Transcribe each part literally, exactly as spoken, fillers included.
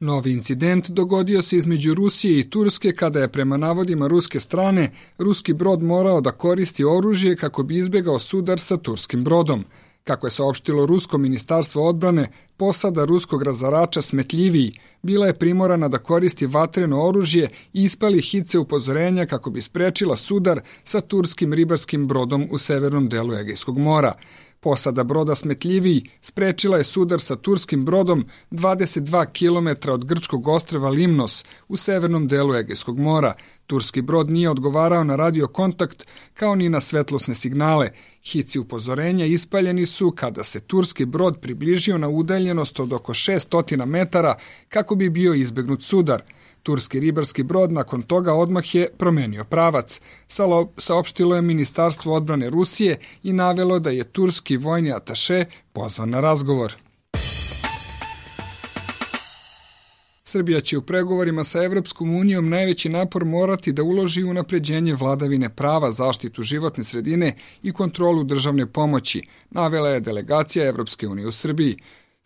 Novi incident dogodio se između Rusije i Turske kada je prema navodima ruske strane ruski brod morao da koristi oružje kako bi izbjegao sudar sa turskim brodom. Kako je saopštilo Rusko ministarstvo odbrane, posada ruskog razarača Smetljiviji bila je primorana da koristi vatreno oružje i ispali hice upozorenja kako bi sprečila sudar sa turskim ribarskim brodom u severnom delu Egejskog mora. Posada broda Smetljiviji sprečila je sudar sa turskim brodom dvadeset dva kilometra od grčkog ostrva Limnos u severnom delu Egejskog mora. Turski brod nije odgovarao na radio kontakt kao ni na svetlosne signale. Hici upozorenja ispaljeni su kada se turski brod približio na udaljenost od oko šesnaest metara kako bi bio izbegnut sudar. Turski ribarski brod nakon toga odmah je promenio pravac. Saopštilo je Ministarstvo odbrane Rusije i navelo da je turski vojni ataše pozvan na razgovor. Srbija će u pregovorima sa Evropskom unijom najveći napor morati da uloži u unapređenje vladavine prava, zaštitu životne sredine i kontrolu državne pomoći, navela je delegacija Evropske unije u Srbiji.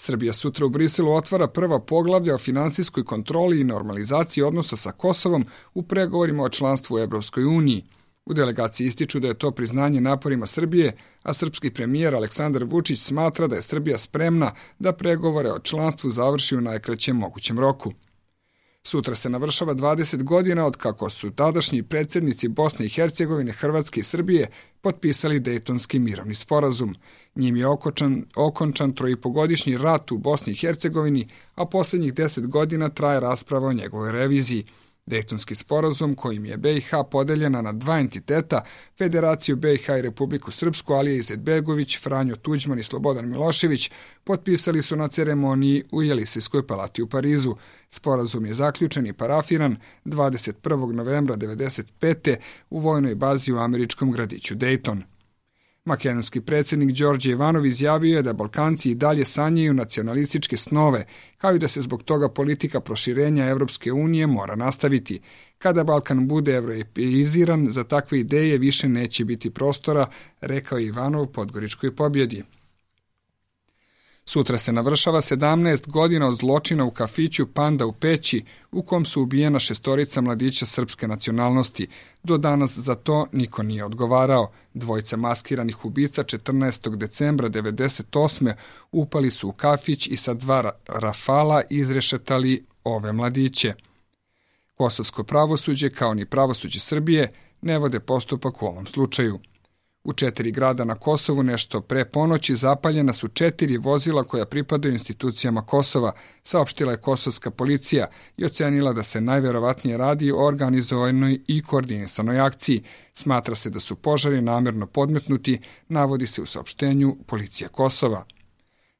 Srbija sutra u Briselu otvara prva poglavlja o finansijskoj kontroli i normalizaciji odnosa sa Kosovom u pregovorima o članstvu u Evropskoj uniji. U delegaciji ističu da je to priznanje naporima Srbije, a srpski premijer Aleksandar Vučić smatra da je Srbija spremna da pregovore o članstvu završi u najkraćem mogućem roku. Sutra se navršava dvadeset godina od kako su tadašnji predsjednici Bosne i Hercegovine, Hrvatske i Srbije potpisali Dejtonski mirovni sporazum. Njim je okončan, okončan trojipogodišnji rat u Bosni i Hercegovini, a posljednjih deset godina traje rasprava o njegovoj reviziji. Dejtonski sporazum, kojim je B i H podeljena na dva entiteta, Federaciju B i H i Republiku Srpsku, Alija Izetbegović, Franjo Tuđman i Slobodan Milošević, potpisali su na ceremoniji u Jelisejskoj palati u Parizu. Sporazum je zaključen i parafiran dvadeset prvog novembra devedeset pete u vojnoj bazi u američkom gradiću Dejton. Makedonski predsjednik Đorđe Ivanov izjavio je da Balkanci i dalje sanjaju nacionalističke snove, kao i da se zbog toga politika proširenja Evropske unije mora nastaviti. Kada Balkan bude evropeiziran, za takve ideje više neće biti prostora, rekao je Ivanov Podgoričkoj pobjedi. Sutra se navršava sedamnaest godina od zločina u kafiću Panda u Peći, u kom su ubijena šestorica mladića srpske nacionalnosti. Do danas za to niko nije odgovarao. Dvojica maskiranih ubica četrnaestog decembra devedeset osme upali su u kafić i sa dva rafala izrešetali ove mladiće. Kosovsko pravosuđe, kao ni pravosuđe Srbije, ne vode postupak u ovom slučaju. U četiri grada na Kosovu nešto pre ponoći zapaljena su četiri vozila koja pripadaju institucijama Kosova, saopštila je kosovska policija i ocenila da se najverovatnije radi o organizovanoj i koordinisanoj akciji. Smatra se da su požari namjerno podmetnuti, navodi se u saopštenju policija Kosova.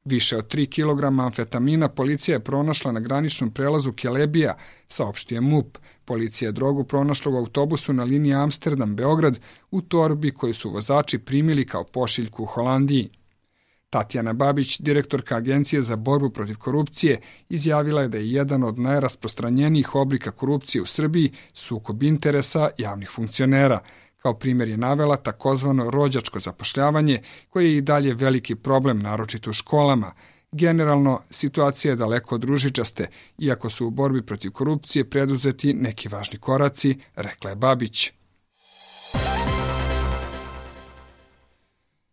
Više od tri kilograma amfetamina policija je pronašla na graničnom prelazu Kelebija, saopštio MUP. Policija je drogu pronašla u autobusu na liniji Amsterdam-Beograd u torbi koju su vozači primili kao pošiljku u Holandiji. Tatjana Babić, direktorka Agencije za borbu protiv korupcije, izjavila je da je jedan od najrasprostranjenijih oblika korupcije u Srbiji sukob interesa javnih funkcionera. Kao primjer je navela takozvano rođačko zapošljavanje, koje je i dalje veliki problem, naročito u školama. Generalno, situacija je daleko od ružičaste, iako su u borbi protiv korupcije preduzeti neki važni koraci, rekla je Babić.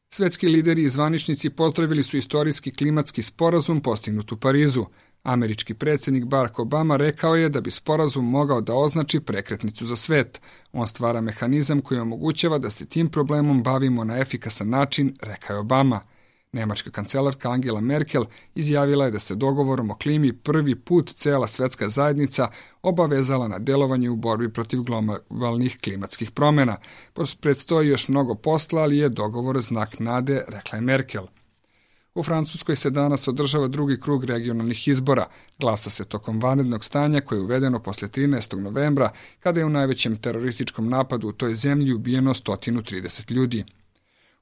Svetski lideri i zvaničnici pozdravili su istorijski klimatski sporazum postignut u Parizu. Američki predsjednik Barack Obama rekao je da bi sporazum mogao da označi prekretnicu za svet. On stvara mehanizam koji omogućava da se tim problemom bavimo na efikasan način, rekao je Obama. Nemačka kancelarka Angela Merkel izjavila je da se dogovorom o klimi prvi put cela svetska zajednica obavezala na delovanje u borbi protiv globalnih klimatskih promjena. Predstoji još mnogo posla, ali je dogovor znak nade, rekla je Merkel. U Francuskoj se danas održava drugi krug regionalnih izbora. Glasa se tokom vanrednog stanja koje je uvedeno posle trinaestog novembra, kada je u najvećem terorističkom napadu u toj zemlji ubijeno sto trideset ljudi.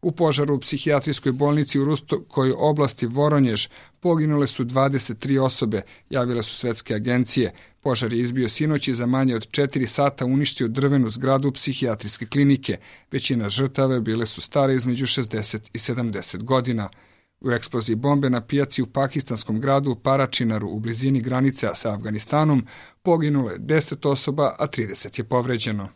U požaru u psihijatrijskoj bolnici u ruskoj oblasti Voronjež poginule su dvadeset tri osobe, javile su svetske agencije. Požar je izbio sinoć i za manje od četiri sata uništio drvenu zgradu psihijatrijske klinike. Većina žrtava bile su stare između šezdeset i sedamdeset godina. U eksploziji bombe na pijaci u pakistanskom gradu Paračinaru u blizini granice sa Afganistanom poginulo je deset osoba, a trideset je povređeno.